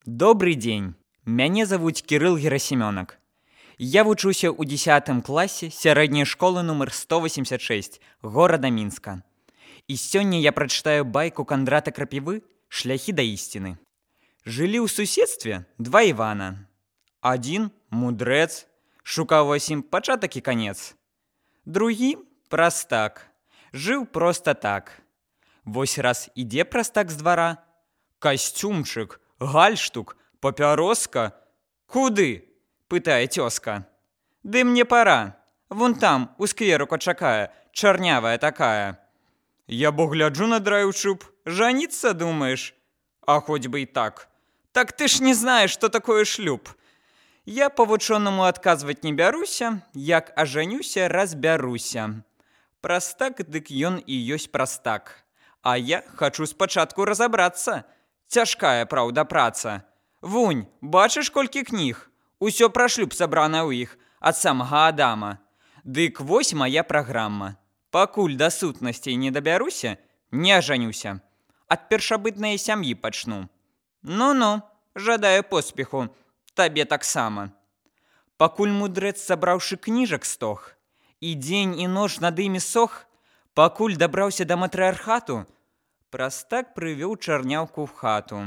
Добрый дзень. Мяне завуць Кірыл Герасімёнак. Я вучуся ў 10 класе сярэдняй школы нумар 186 горада Мінска. І сёння я прачытаю байку Кандрата Крапівы «Шляхі да ісціны». Жылі ў суседстве два Івана. Адзін мудрэц, шукаў усім пачатак і канец. Другі прастак, жыў проста так. Вось раз ідзе прастак з двара. Касцюмчык, гальштук, папяроска. Куды? Пытае цёзка. Ды мне пара. Вон там, у скверука чакае, чарнявая такая. Я бо гляджу на драйв-шуб. Жаніцца, думаеш? А хоць бы і так. Так ты ж не знаеш, што такое шлюб. Я па-вучонаму адказваць не бяруся, як ажанюся, разбяруся. Прастак, дык ён і ёсць прастак. А я хачу спачатку разабрацца. Цяжкая, праўда, праца. Вунь, бачыш, колькі кніг? Усё пра шлюб сабрана ў іх, ад самага Адама. Дык вось мая праграма. Пакуль да сутнасцей не дабяруся, не ажанюся. Ад першабытнай сям'і пачну. Ну-ну, жадаю поспеху, табе таксама. Пакуль мудрэц, сабраўшы кніжак стог, і дзень і ноч над імі сох, пакуль дабраўся да матрыархату, прастак прывёў чарняўку ў хату.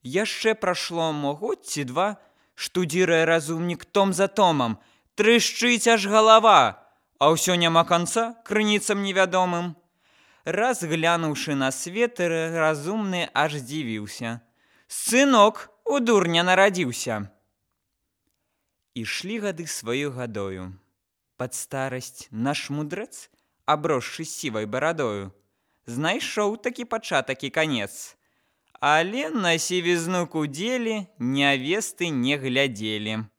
Яшчэ прашло год ці два, штудзірае разумнік том за томам, трышчыць аж галава, а ўсё няма канца крыніцам невядомым. Раз глянуўшы на свет, разумны аж здзівіўся. Сынок у дурня нарадзіўся. Ішлі гады сваёй гадою. Пад старасць наш мудрэц, абросшы сівай барадою, знайшоў такі пачатак і канец. Але на сівізну кудзелі нявесты не глядзелі.